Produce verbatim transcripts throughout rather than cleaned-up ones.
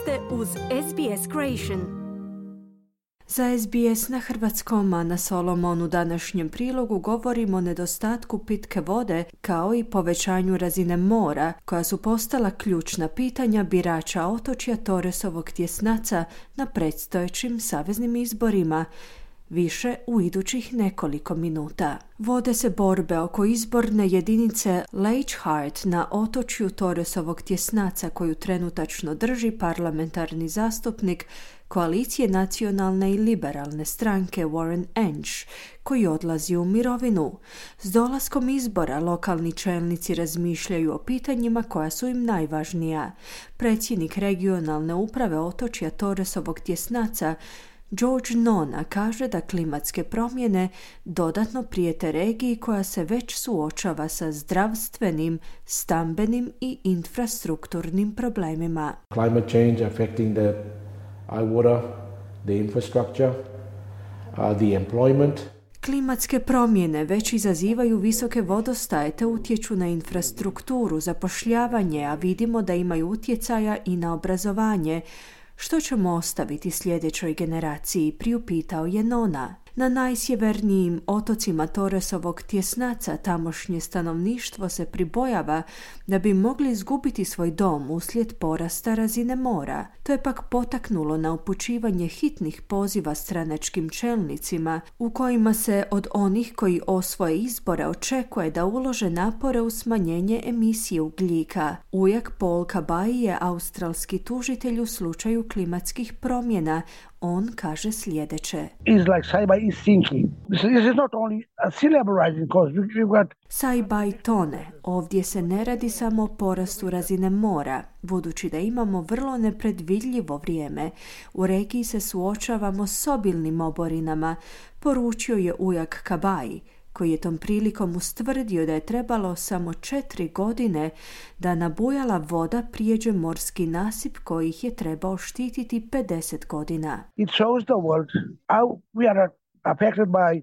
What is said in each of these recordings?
ste uz S B S Creation. Za S B S na hrvatskom, a na Solomon u današnjem prilogu govorimo o nedostatku pitke vode kao i povećanju razine mora, koja su postala ključna pitanja birača otočja Torresovog tjesnaca na predstojećim saveznim izborima. Više u idućih nekoliko minuta. Vode se borbe oko izborne jedinice Leichhardt na otočju Torresovog tjesnaca, koju trenutačno drži parlamentarni zastupnik koalicije nacionalne i liberalne stranke Warren Entsch, koji odlazi u mirovinu. S dolaskom izbora lokalni čelnici razmišljaju o pitanjima koja su im najvažnija. Predsjednik regionalne uprave otočja Torresovog tjesnaca George Nona kaže da klimatske promjene dodatno prijete regiji koja se već suočava sa zdravstvenim, stambenim i infrastrukturnim problemima. Climate change affecting the water, the infrastructure, uh, the employment. Klimatske promjene već izazivaju visoke vodostaje te utječu na infrastrukturu, zapošljavanje, a vidimo da imaju utjecaja i na obrazovanje. Što ćemo ostaviti sljedećoj generaciji, priupitao je Nona. Na najsjevernijim otocima Torresovog tjesnaca tamošnje stanovništvo se pribojava da bi mogli izgubiti svoj dom uslijed porasta razine mora. To je pak potaknulo na upućivanje hitnih poziva stranačkim čelnicima, u kojima se od onih koji osvoje izbore očekuje da ulože napore u smanjenje emisije ugljika. Ujak Paul Kabai je australski tužitelj u slučaju klimatskih promjena. On kaže sljedeće. Saibai tone. Ovdje se ne radi samo o porastu razine mora, budući da imamo vrlo nepredvidljivo vrijeme. U regiji se suočavamo s obilnim oborinama, poručio je ujak Kabai, koji je tom prilikom ustvrdio da je trebalo samo četiri godine da nabujala voda prijeđe morski nasip koji ih je trebao štititi pedeset godina. It shows the world how we are affected by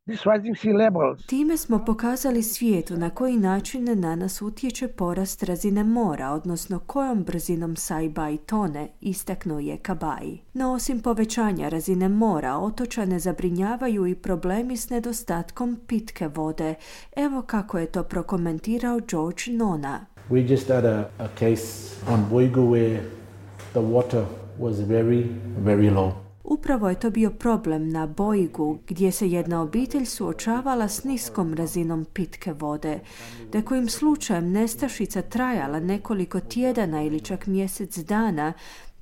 these rising sea levels. Time smo pokazali svijetu na koji način na nas utječe porast razine mora, odnosno kojom brzinom Saibai tone, istaknuo je Kabai. No osim povećanja razine mora, otočane zabrinjavaju i problemi s nedostatkom pitke vode. Evo kako je to prokomentirao George Nona. We just had a, a case on Boigu where the water was very, very low. Upravo je to bio problem na Boigu, gdje se jedna obitelj suočavala s niskom razinom pitke vode. Da kojim slučajem nestašica trajala nekoliko tjedana ili čak mjesec dana,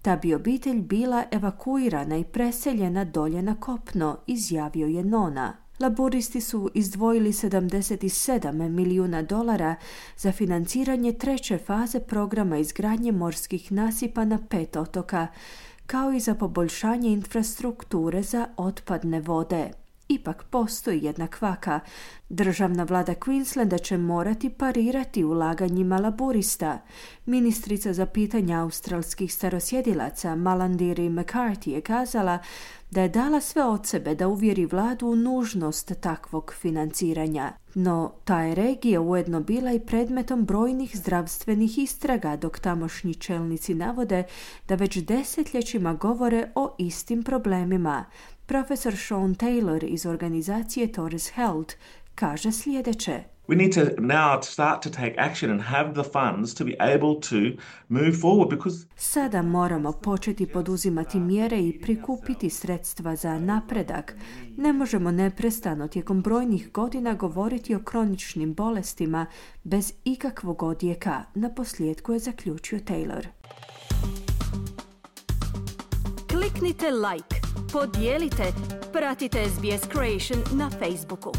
ta bi obitelj bila evakuirana i preseljena dolje na kopno, izjavio je Nona. Laburisti su izdvojili sedamdeset sedam milijuna dolara za financiranje treće faze programa izgradnje morskih nasipa na pet otoka, kao i za poboljšanje infrastrukture za otpadne vode. Ipak postoji jedna kvaka. Državna vlada Queenslanda će morati parirati ulaganjima laburista. Ministrica za pitanja australskih starosjedilaca Malandiri McCarthy je kazala da je dala sve od sebe da uvjeri vladu u nužnost takvog financiranja. No, ta je regija ujedno bila i predmetom brojnih zdravstvenih istraga, dok tamošnji čelnici navode da već desetljećima govore o istim problemima. Profesor Sean Taylor iz organizacije Torres Health kaže sljedeće. We need to now start to take action and have the funds to be able to move forward because Sada moramo početi poduzimati mjere i prikupiti sredstva za napredak. Ne možemo neprestano tijekom brojnih godina govoriti o kroničnim bolestima bez ikakvog odjeka, naposljetku je zaključio Taylor. Kliknite like, podijelite, pratite S B S Creation na Facebooku.